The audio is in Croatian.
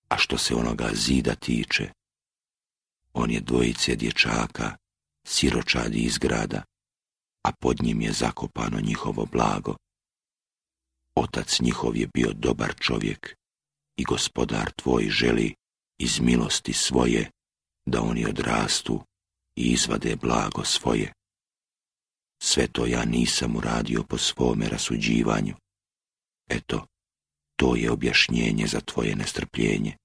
A što se onoga zida tiče, on je dvojice dječaka, siročadi iz grada, a pod njim je zakopano njihovo blago. Otac njihov je bio dobar čovjek i Gospodar tvoj želi iz milosti svoje da oni odrastu i izvade blago svoje. Sve to ja nisam uradio po svome rasuđivanju. Eto, to je objašnjenje za tvoje nestrpljenje.